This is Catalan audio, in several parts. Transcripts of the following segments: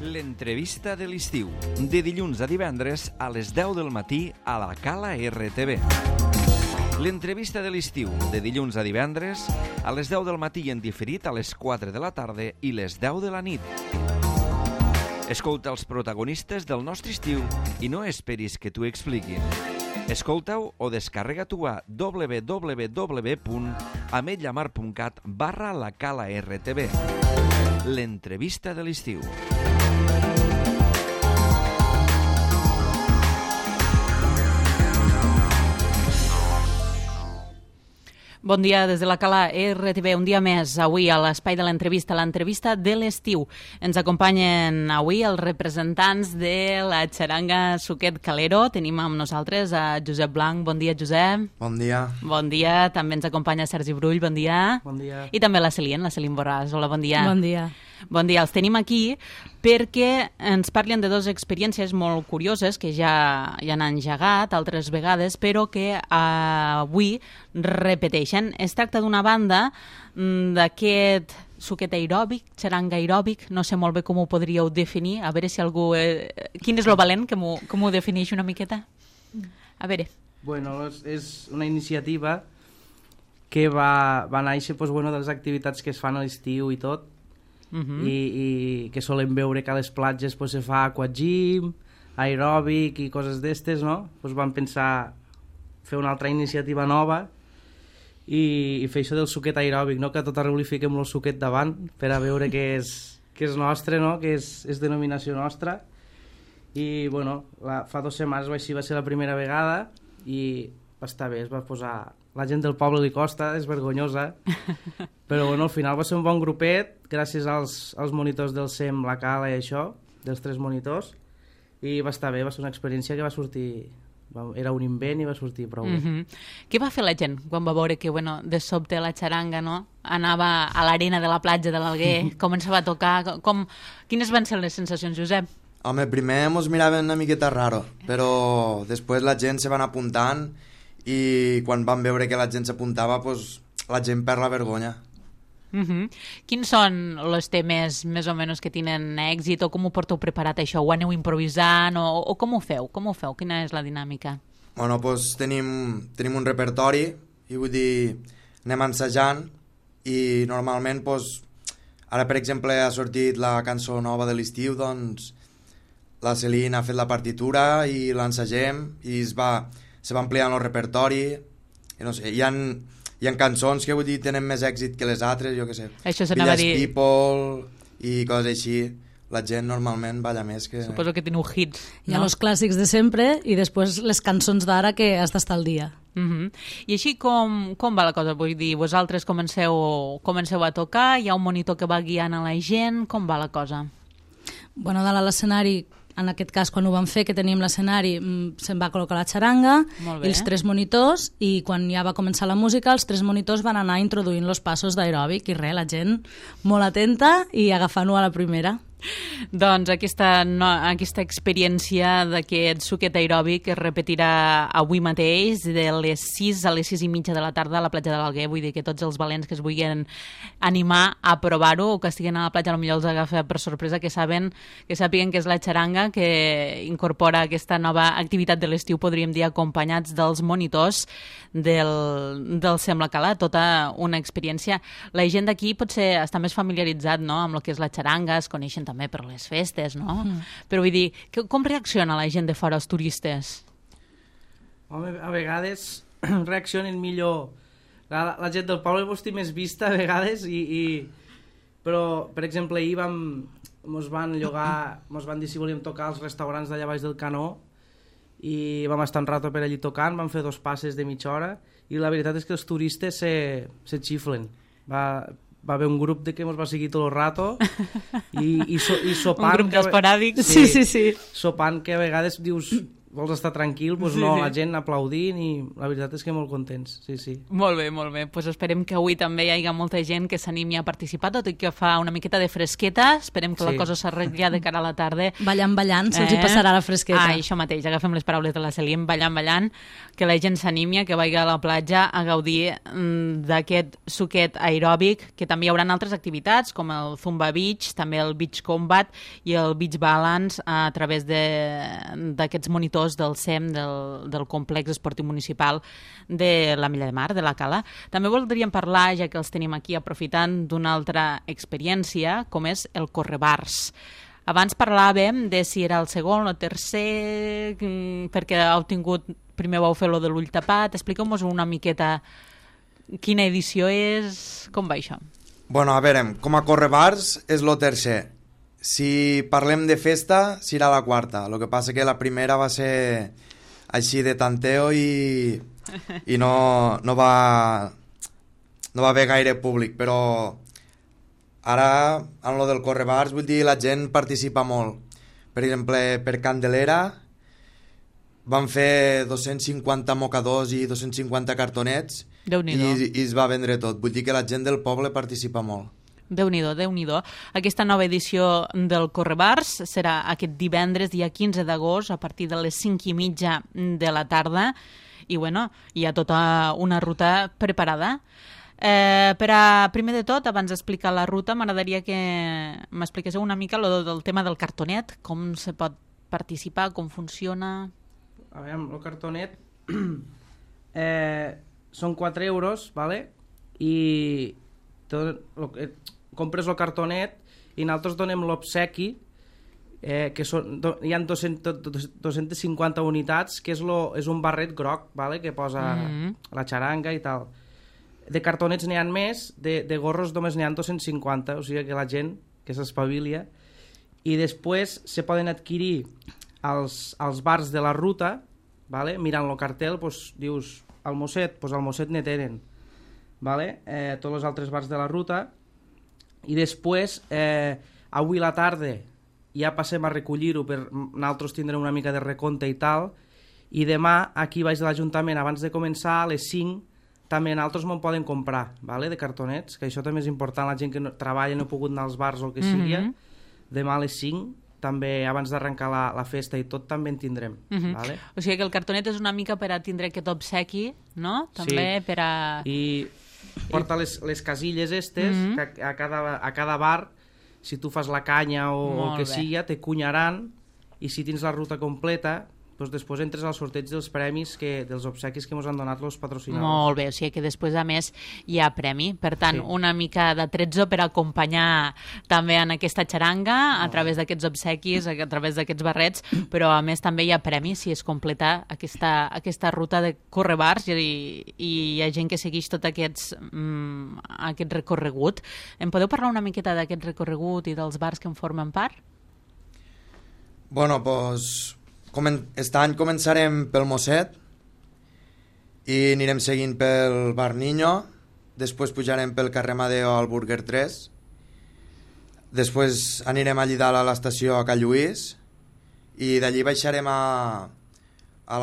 L'entrevista de l'estiu, de dilluns a divendres a les 10 del matí a la Cala RTV. L'entrevista de l'estiu, de dilluns a divendres a les 10 del matí i en diferit a les 4 de la tarda i les 10 de la nit. Escolta els protagonistes del nostre estiu i no esperis que t'ho expliquin. Escolta-ho o descarrega-t'ho a www.ametlllamar.cat/la-cala-rtv. L'entrevista de l'estiu. Bon dia des de la Cala RTV, un dia més, avui a l'espai de l'entrevista de l'estiu. Ens acompanyen avui els representants de la xaranga Suquet Calero. Tenim amb nosaltres a Josep Blanc. Bon dia, Josep. Bon dia. Bon dia. També ens acompanya Sergi Brull. Bon dia. Bon dia. I també la Celine Borràs. Hola, bon dia. Bon dia. Bon dia, els tenim aquí perquè ens parlen de dues experiències molt curioses que ja han engegat altres vegades, però que avui repeteixen. Es tracta d'una banda d'aquest suquet aeròbic, xaranga aeròbic, no sé molt bé com ho podríeu definir, a veure si algú... Quin és lo valent que m'ho defineix una miqueta? A veure. Bueno, és una iniciativa que va néixer de les activitats que es fan a l'estiu i tot, i que solem veure que a les platges se fa aquagym, aeròbic i coses d'estes, no? Vam pensar fer una altra iniciativa nova i fer això del suquet aeròbic, no? Que a tot arreu li fiquem el suquet davant per a veure que és nostre, no? Que és denominació nostra. I bueno, fa 2 setmanes va ser la primera vegada i va estar bé, es va posar... La gent del poble li costa, és vergonyosa, però bueno, al final va ser un bon grupet, gràcies als monitors del SEM, la Cala i això, dels 3 monitors, i va estar bé, va ser una experiència que va sortir... Era un invent i va sortir prou bé. Què va fer la gent quan va veure que de sobte la xaranga anava a l'arena de la platja de l'Alguer, començava a tocar? Quines van ser les sensacions, Josep? Home, primer mos miraven una miqueta raro, però després la gent se van apuntant i quan van veure que la gent s'apuntava, la gent perd la vergonya. Quins són els temes més o menys que tenen èxit o com ho porteu preparat això? Ho aneu improvisant o com ho feu? Quina és la dinàmica? Bueno, tenim un repertori i vull dir, anem ensajant i normalment, ara per exemple ha sortit la cançó nova de l'estiu, doncs la Celine ha fet la partitura i l'ensagem i se va ampliant el repertori i no sé, hi ha cançons que vull dir tenen més èxit que les altres, jo què sé, Village People i coses així, la gent normalment balla més que... Suposo que teniu hits, no? Hi ha els clàssics de sempre i després les cançons d'ara que has d'estar al dia. I així com va la cosa? Vull dir, vosaltres comenceu a tocar, hi ha un monitor que va guiant a la gent, com va la cosa? Bueno, dalt a l'escenari, en aquest cas, quan ho vam fer, que teníem l'escenari, se'n va col·locar la xaranga i els 3 monitors, i quan ja va començar la música, els 3 monitors van anar introduint els passos d'aeròbic, i la gent molt atenta i agafant-ho a la primera. Doncs aquesta experiència d'aquest suquet aeròbic es repetirà avui mateix de les 6 a les 6:30 de la tarda a la platja de l'Alguer. Vull dir que tots els valents que es vulguin animar a provar-ho o que estiguin a la platja potser els agafa per sorpresa, que sàpiguen que és la xaranga que incorpora aquesta nova activitat de l'estiu, podríem dir, acompanyats dels monitors del SEM La Cala. Tota una experiència. La gent d'aquí potser està més familiaritzat, no?, amb el que és la xaranga, es coneixen també per les festes, no? Però vull dir, com reacciona la gent de fora, els turistes? Home, a vegades reaccionen millor. La gent del poble té més vista a vegades, però, per exemple, ahir mos van dir si volíem tocar als restaurants d'allà baix del Canó i vam estar un rato per allí tocant, vam fer 2 passes de mitja hora i la veritat és que els turistes se xiflen. Va haver un grup que ens va seguir tot el rato i sopant... Un grup d'esporàdics. Sí. Sopant que a vegades dius... vols estar tranquil, doncs Sí, no, sí. la gent aplaudint i la veritat és que molt contents, sí, sí. Molt bé, molt bé. Pues esperem que avui també hi hagi molta gent que s'animi a participar, tot i que fa una miqueta de fresqueta. Esperem que la Sí. cosa s'arregli ja de cara a la tarda. Ballant, se'ls hi passarà la fresqueta. Ah, això mateix, agafem les paraules de la Celia, ballant, que la gent s'animi, que vagi a la platja a gaudir d'aquest suquet aeròbic, que també hi haurà altres activitats, com el Zumba Beach, també el Beach Combat i el Beach Balance a través d'aquests monitors del SEM, del complex esportiu municipal de la Milla de Mar, de la Cala. També voldríem parlar, ja que els tenim aquí aprofitant, d'una altra experiència, com és el Correbars. Abans parlàvem de si era el segon o el tercer, perquè primer vau fer lo de l'ull tapat. Expliqueu-nos una miqueta quina edició és, com va això? Bueno, a veure, com a Correbars és lo tercer. Si parlem de festa, serà la quarta. El que passa que la primera va ser així de tanteo i no va haver gaire públic, però ara, en lo del Correbars, vull dir, la gent participa molt. Per exemple, per Candelera van fer 250 mocadors i 250 cartonets i es va vendre tot. Vull dir que la gent del poble participa molt. Déu-n'hi-do, Déu-n'hi-do. Aquesta nova edició del Correbars serà aquest divendres, dia 15 d'agost, a partir de les 5:30 de la tarda. I, bueno, hi ha tota una ruta preparada. Primer de tot, abans d'explicar la ruta, m'agradaria que m'expliquéssiu una mica del tema del cartonet, com se pot participar, com funciona... A veure, el cartonet són 4 euros, ¿vale? I compres el cartonet i nosaltres donem l'obsequi, que hi ha 250 unitats, que és un barret groc, ¿vale? Que posa la xaranga i tal. De cartonets n'hi ha més, de gorros només n'hi ha 250, o sigui que la gent que s'espavilia. I després se poden adquirir als bars de la ruta, ¿vale? Mirant el cartel, pues, dius al Mosset, pues al Mosset ne tenen, ¿vale? Tots els altres bars de la ruta. I després, avui a la tarda ja passem a recollir-ho, per nosaltres tindrem una mica de recompte i tal, i demà aquí baix de l'Ajuntament, abans de començar, a les 5, també nosaltres me'n poden comprar, ¿vale? De cartonets, que això també és important, la gent que treballa no ha pogut anar als bars o el que sigui, demà a les 5, també abans d'arrencar la festa i tot, també en tindrem. ¿Vale? O sigui que el cartonet és una mica per a tindre aquest obsequi, no? També per a... I porta les casilles estes, que a cada bar, si tu fas la canya o el que sigui, te cunyaran, i si tens la ruta completa, doncs després entres al sorteig dels premis, dels obsequis que ens han donat els patrocinadors. Molt bé, o sigui que després, a més, hi ha premi. Per tant, una mica de tretzo per acompanyar també en aquesta xaranga, a través d'aquests obsequis, a través d'aquests barrets, però a més també hi ha premi si es completa aquesta ruta de Correbars i hi ha gent que segueix tot aquest recorregut. Em podeu parlar una miqueta d'aquest recorregut i dels bars que en formen part? Bueno, doncs... Aquest any començarem pel Mosset i anirem seguint pel Bar Niño, després pujarem pel carrer Amadeo al Burger 3, després anirem allí dalt a l'estació a Can Lluís i d'allí baixarem a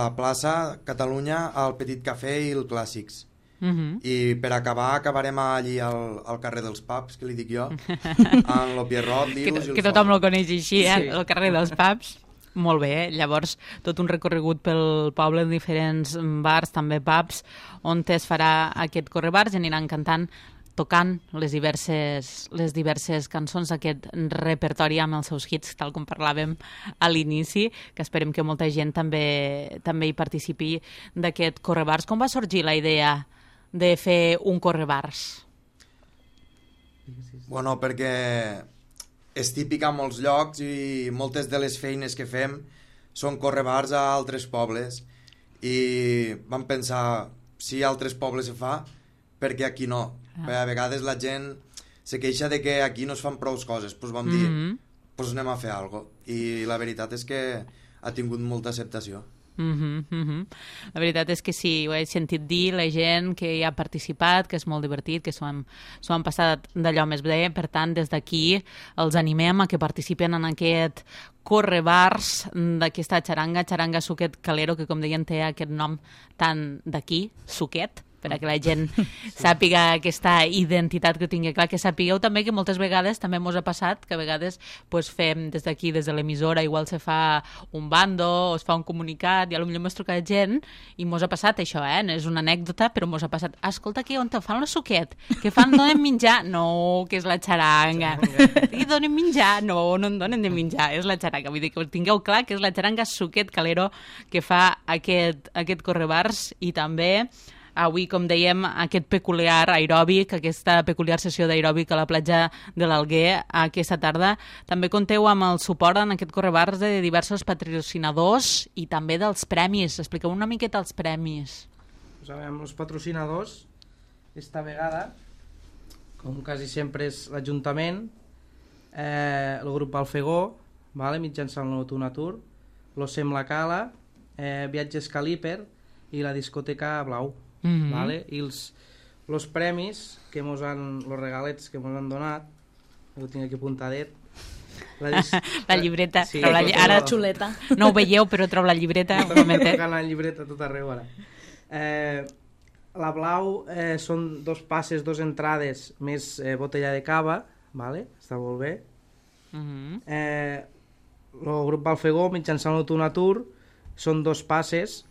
la plaça Catalunya, al Petit Cafè i el Clàssics. I per acabarem allí al carrer dels Pubs, que li dic jo, amb el Pierrot, l'Ius i el que tothom lo coneix així, el carrer dels Pubs. Molt bé, llavors tot un recorregut pel poble en diferents bars, també pubs, on es farà aquest Correbars i aniran cantant, tocant les diverses cançons d'aquest repertori amb els seus hits, tal com parlàvem a l'inici, que esperem que molta gent també hi participi d'aquest Correbars. Com va sorgir la idea de fer un Correbars? Bueno, perquè... és típic a molts llocs i moltes de les feines que fem són correbars a altres pobles i vam pensar, si a altres pobles se fa, perquè aquí no? Perquè a vegades la gent se queixa de que aquí no es fan prou coses, doncs vam dir, doncs anem a fer alguna cosa. I la veritat és que ha tingut molta acceptació. La veritat és que sí, ho he sentit dir, la gent que hi ha participat, que és molt divertit, que s'ho han passat d'allò més bé. Per tant, des d'aquí els animem a que participen en aquest correbars d'aquesta xaranga Suquet Calero, que com deien té aquest nom tan d'aquí, Suquet, per a que la gent sàpiga aquesta identitat que tingui clar, que sapigueu també que moltes vegades també mos ha passat que a vegades pues, fem des d'aquí, des de l'emissora, igual se fa un bando o es fa un comunicat i potser mos truca gent i mos ha passat això, no és una anècdota, però mos ha passat, escolta, que on te fan la Suquet? Que fan, donen menjar? No, que és la xaranga. I donen menjar? No, no en donen de menjar, és la xaranga. Vull dir que tingueu clar que és la xaranga Suquet Calero que fa aquest correbars i també avui, com dèiem, aquest peculiar aeròbic, aquesta peculiar sessió d'aeròbic a la platja de l'Alguer aquesta tarda. També compteu amb el suport en aquest correbars de diversos patrocinadors i també dels premis. Expliqueu una miqueta els premis. Pues amb els patrocinadors, esta vegada, com quasi sempre és l'Ajuntament, el grup Alfegó, mitjançant l'Autonatur, l'Ocem La Cala, Viatges Caliper i la discoteca Blau. I els premis que els regalets que ens han donat, ho tinc aquí apuntadet, la llibreta, sí, ara xuleta, no ho veieu però trobo la llibreta la llibreta tot arreu ara. La Blau són 2 passes, 2 entrades més botella de cava, està molt bé. El grup Alfegó mitjançant l'Autonatur són 2 passes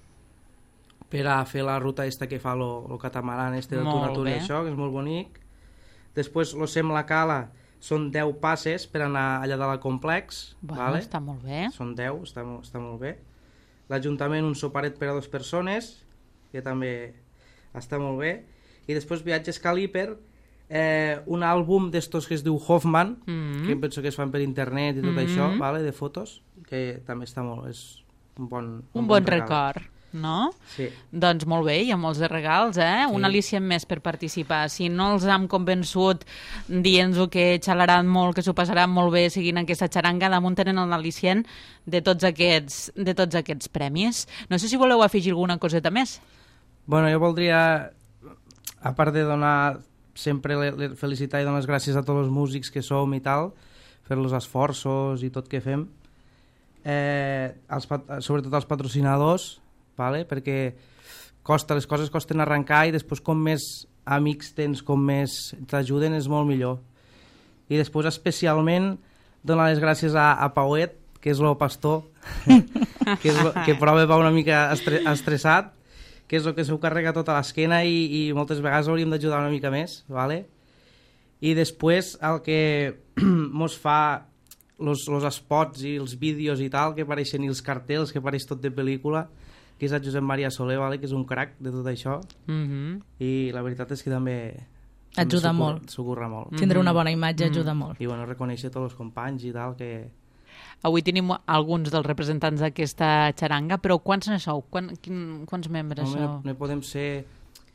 per a fer la ruta que fa el catamaran d'Autonatur i això, que és molt bonic. Després l'Ocem La Cala són 10 passes per anar allà dalt al complex. Està molt bé. Són 10, està molt bé. L'Ajuntament un soparet per a 2 persones, que també està molt bé. I després Viatges Caliper, un àlbum d'estos que es diu Hoffman, que penso que es fan per internet i tot això, de fotos, que també està molt... és un bon record. No? Sí. Doncs molt bé, hi ha molts de regals, Sí. Un al·licient més per participar. Si no els hem convençut dient-nos que xalaran molt, que s'ho passaran molt bé seguint aquesta xaranga, damunt tenen el al·licient de tots aquests premis. No sé si voleu afegir alguna coseta més. Bueno, jo voldria, a part de donar sempre felicitar i donar les gràcies a tots els músics que som i tal, fer els esforços i tot que fem, sobretot als patrocinadors, perquè les coses costen arrencar i després com més amics tens, com més t'ajuden, és molt millor. I després especialment donar les gràcies a Pauet, que és el pastor, que prova va una mica estressat, que és el que s'ho carrega tota l'esquena i moltes vegades hauríem d'ajudar una mica més. I després el que mos fa els spots i els vídeos i tal, que apareixen, i els cartells, que apareix tot de pel·lícula, que és el Josep Maria Soler, que és un crac de tot això, i la veritat és que també ajuda molt. S'ocorre molt. Tindre una bona imatge ajuda molt. I reconèixer tots els companys i tal, que... Avui tenim alguns dels representants d'aquesta xaranga, però quants ne sou? Quants membres sou? No podem ser...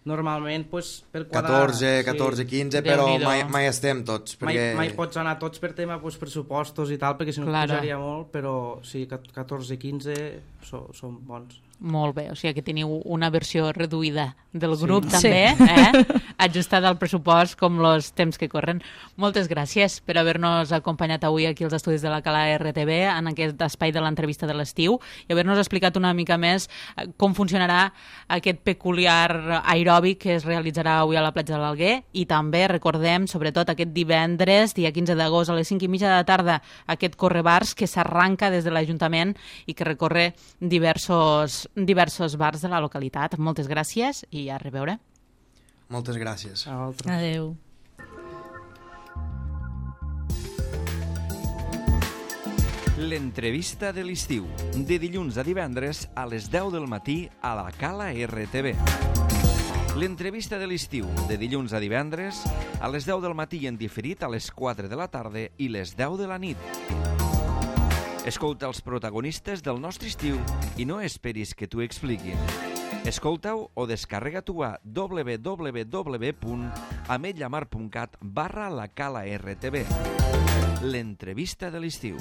Normalment, per quadrar... 14, 15, però mai estem tots. Mai pots anar tots per tema pressupostos i tal, perquè si no posaria molt, però sí, 14, 15 són bons. Molt bé, o sigui que teniu una versió reduïda del grup també, ajustada al pressupost com els temps que corren. Moltes gràcies per haver-nos acompanyat avui aquí als estudis de la Cala RTV en aquest espai de l'entrevista de l'estiu i haver-nos explicat una mica més com funcionarà aquest peculiar aeròbic que es realitzarà avui a la platja de l'Alguer i també recordem, sobretot aquest divendres, dia 15 d'agost a les 5:30 de la tarda, aquest correbars que s'arranca des de l'Ajuntament i que recorre diversos bars de la localitat. Moltes gràcies i a reveure. Moltes gràcies. Adéu. L'entrevista de l'estiu, de dilluns a divendres a les 10 del matí a la Cala RTV. L'entrevista de l'estiu, de dilluns a divendres a les 10 del matí i en diferit a les 4 de la tarda i les 10 de la nit. Escolta els protagonistes del nostre estiu i no esperis que t'ho expliquin. Escolta-ho o descarrega-t'ho a www.ametlllamar.cat/la Cala RTV. L'entrevista de l'estiu.